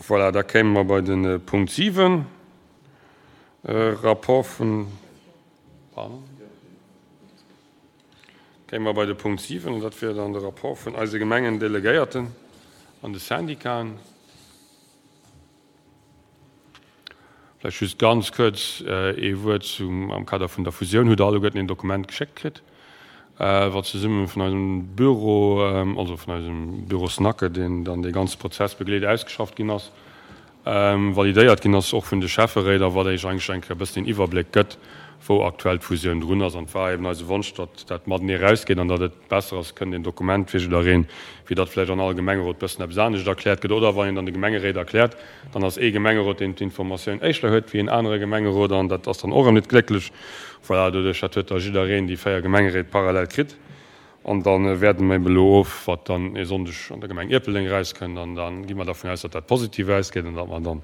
Voilà, da kéime mer bei de Punkt 7, Rapport vun, pardon, kéime mer bei de Punkt 7, an dat wier dann de Rapport vun eise Gemengendelegéierten an de Syndicaten. Vläicht just ganz kuerz ee Wuert zum, am Kader vun der Fusioun hutt Der alleguerten een Dokument geschéckt kritt, wat zesumme vun eisem Büro, also vun eisem Büro SNACE, deen dann dee ganze Prozess begleet, ausgeschafft ginn ass, validéiert ginn ass och vun de Schäfferéit a wat Iech eigentlech eng Kéier e bëssen een Iwwerbléck gëtt, wou aktuell d'Fusioun drun ass. An et war eben eise Wonsch, datt dat matenee erausgeet an datt et besser ass, kënnt een Dokument fir jiddereen, wéi datt vläicht an all Gemengerot bëssen eppes anescht erkläert gëtt. Oder wann een dann de Gemengeréit erkläert, dann ass ee Gemengerot, deen d'Informatioun éischter huet wéi een anere Gemengerot an dat ass dann och erëm net glécklech. Voilà, doduerch dat huet da jiddereen déi 4 Gemengeréit parallel kritt. An da wäerden mer eben elo of, wat dann e Sonndeg an der Gemeng Ierpeldeng erauskënnt. An da gi mer dervun aus, datt dat positiv ausgeet an datt mer dann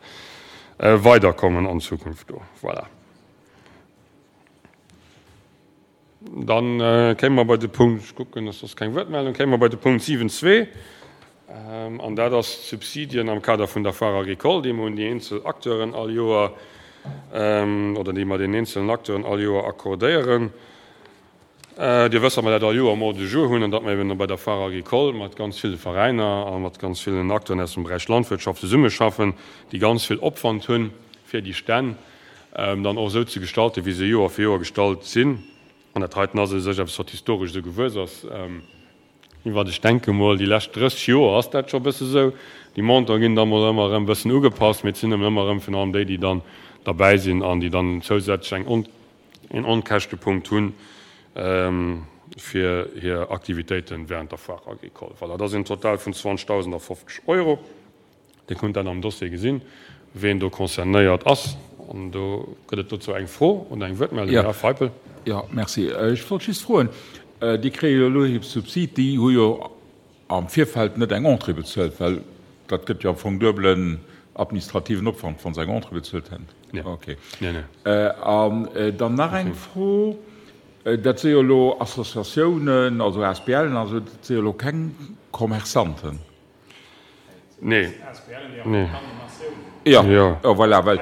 weiderkommen an Zukunft do. Voilà. Dann kéime mer bei de Punkt, ech kucken, dass soss keng Wuertmeldung, kéime mer bei de Punkt 7.2, an dat ass d'Subsidien am Kader vun der Foire agricole, déi mer un déi eenzel Acteuren all Joer, oder déi mer den eenzelen Acteuren all Joer accordéieren. Dir wësst, datt mer dat all Joer am Ordre du jour hunn an datt mer eben bei der Foire agricole mat ganz ville Veräiner a mat ganz villen Acteuren aus dem Beräich Landwirtschaft zesummeschaffen, déi ganz vill Opwand hunn, fir déi Stänn dann och esou ze gestalten, wéi se Joer fir Joer gestallt sinn. An dat heiten ass u sech eppes, wat historesch esou gewuess ass. Iwwert, ech denke mol, déi lescht 30 Joer ass dat scho e bësse sou. Déi Montanten ginn da mol ëmmer erëm e bëssen ugepasst, mee et sinn ëmmer erëm virun allem déi, déi dann derbäi sinn an déi dann zousätzlech eng een Onkäschtepunkt hunn fir hir Aktivitéite während der Foire agricole. Voilà, dat ass een Total vun 20.050 Euro. Dir kunnt dat am Dossier gesinn, ween do concernéiert ass. An do gëtt et dozou eng Fro oder eng Wuertmeldung. Här Feipel. Jo, merci. Ech wollt just froen, Déi kréie jo elo hir Subsid, déi hu jo am Virfeld net eng Entrée bezuelt, well dat gëtt jo am Fong duebelen administrativen Opwand, wa se eng Entrée bezuelt hätten. Nee. Okay. Nee, nee. An dann nach eng Fro, Dat si jo elo Associatiounen, also ASBLen, also dat si jo elo keng Commerçanten. Nee. Nee. Ja, ja voilà, well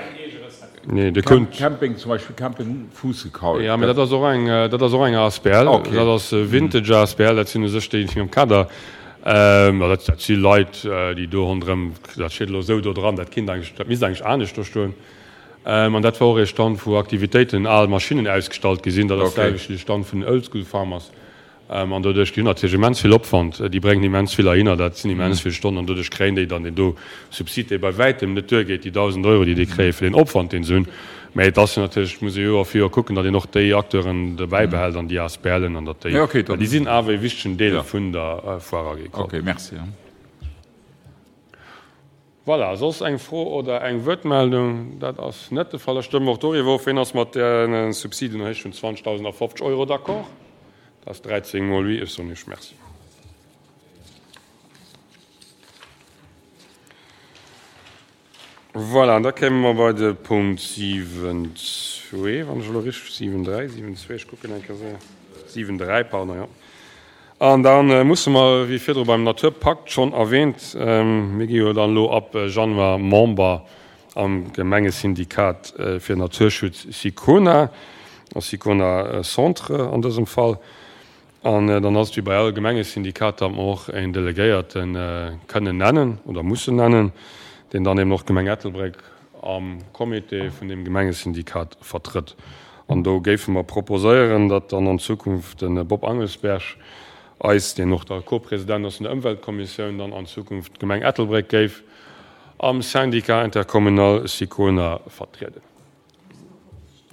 Nee, de Kont. Camping zum Beispill, Camping Fuussekaul. Ja, mee dat ass och eng, dat ass och eng asbl. Okay. Dat ass Vintage asbl, dat sinn u sech déi, déi am Kader, ma dat, dat si Leit, déi do ronderëm, dat steet elo esou do dran, dat kinnt eigentlech, dat misst eigentlech anescht do stoen. An dat war och ee Stand, wou Aktivitéiten, al Maschinnen ausgestallt gi sinn. Dat ass Okay. d'selwecht wéi de Stand vun den Oldschool Farmers. An doduerch, déi hunn natierlech immens vill Opwand, déi bréngen immens vill erhinner, dat sinn immens vill Stonnen, an doduerch kréien déi dann deen do Subsid, dee bei wäitem net duergeet, déi 1.000 Euro, déi déi kréie fir deen Opwand, deen se hunn. Mä et ass jo natierlech, et muss ee Joer fir Joer kucken, datt een och déi Acteuren dobäi behält an déi ASBLen an datt déi, well déi sinn awer ee wichtegen Deel vun der Foire agricole. Okay, merci. Voilà, soss eng Fro oder eng Wuertmeldung? Dat ass net de Fall. Da stëmme mer och doriwwer of. Ween ass mat där Subsidenerhéijung vun 20.050 Euro d'accord? Dat ass 13 mol oui. Ech soen Iech Merci. Voilà, an da kéime mer bei de Punkt 7,2, wann ech elo richteg, 7,3, 7,2, ech kucken eng Kéier séier, 7,3, pardon, jo. An da musse mer, wéi virdru beim Naturpakt schonn erwähnt, mir gi jo dann elo ab Januar Member am Gemengesyndikat fir Naturschutz SICONA, SICONA Centre an dësem Fall. An dann ass et wéi bei all Gemengesyndikat, datt mer och een Delegéierte kënnen nennen oder mussen nennen, deen dann eben och d'Gemeng Ettelbréck am Comité vun deem Gemengesyndikat vertrëtt. An do géife mer proposéieren, datt dann an Zukunft de Bob Angelsberg eis, deen och da Co-President ass vun der Ëmweltkommissioun, dann an Zukunft d'Gemeng Ettelbréck géif am Syndicat intercommunal SICONA vertrieden.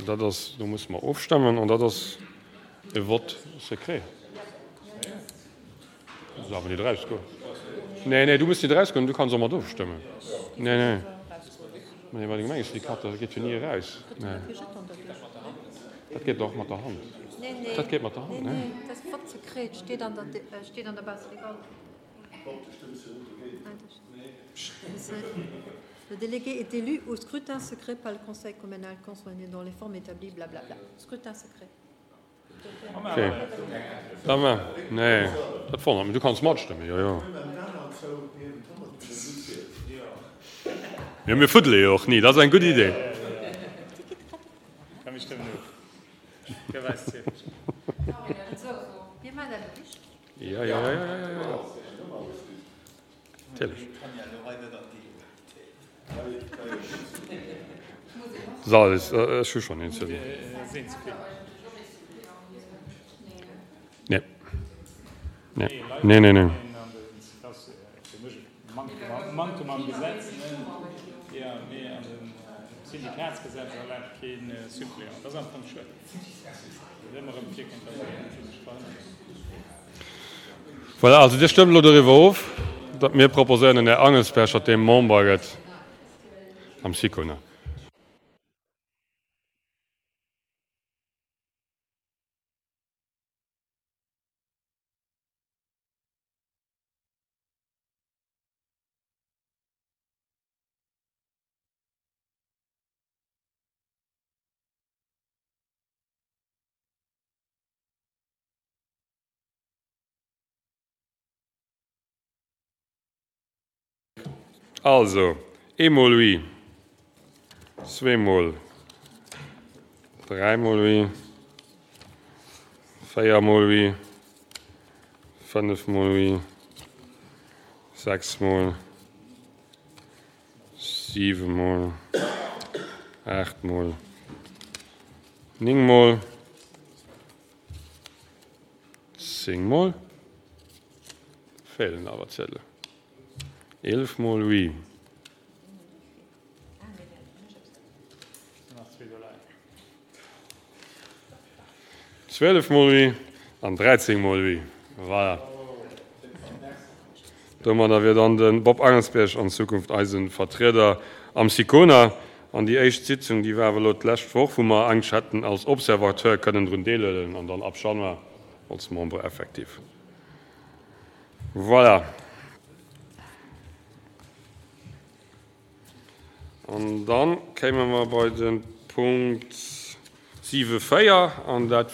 Dat ass, do musse mer ofstemmen an dat ass e Vote secret. Du muss awer net erausgoen. Nee, nee, du muss net erausgoen, du kanns och mat ofstëmmen. Nee, nee. Nee, bei de Gemengesyndikater geet jo ni eraus. Nee. Dat geet och mat der Hand. Dat geet mat der Hand, nee. Le délégué est élu au scrutin secret par le conseil communal concerné dans les formes établies, blablabla. Scrutin secret. Okay. Da ma, nee, dat wonnert mech. Du kanns matstëmmen, jo, jo. Jo, mir fuddele jo och ni, dat ass eng gutt Idee. Jo, jo, jo, jo, jo. Natierlech. So, ech hu schonn een Ziedel. Nee. Nee, nee, nee, nee. Voilà, also Dir stëmmt elo doriwwer of, datt mir proposéieren, den Här Angelsberg, datt dee Member gëtt am SICONA. Also, eemol oui, zweemol, dräimol oui, véiermol oui, fënnefmol oui, sechsmol, siwemol, aachtmol, néngmol, zéngmol, feelen awer Ziedelen, eelefmol oui. 12 mol oui an 13 mol oui. Voilà. Domadder wier dann de Bob Angelsberg an Zukunft eise Vertrieder am SICONA. An déi éischt Sitzung, déi war awer elo d'lescht Woch, wou mer eigentlech hätten als Observateur kënnen drun deelhuelen an dann ab Januar als Membre effectif. Voilà. An da kéime mer bei de Punkt 7, 4, an dat.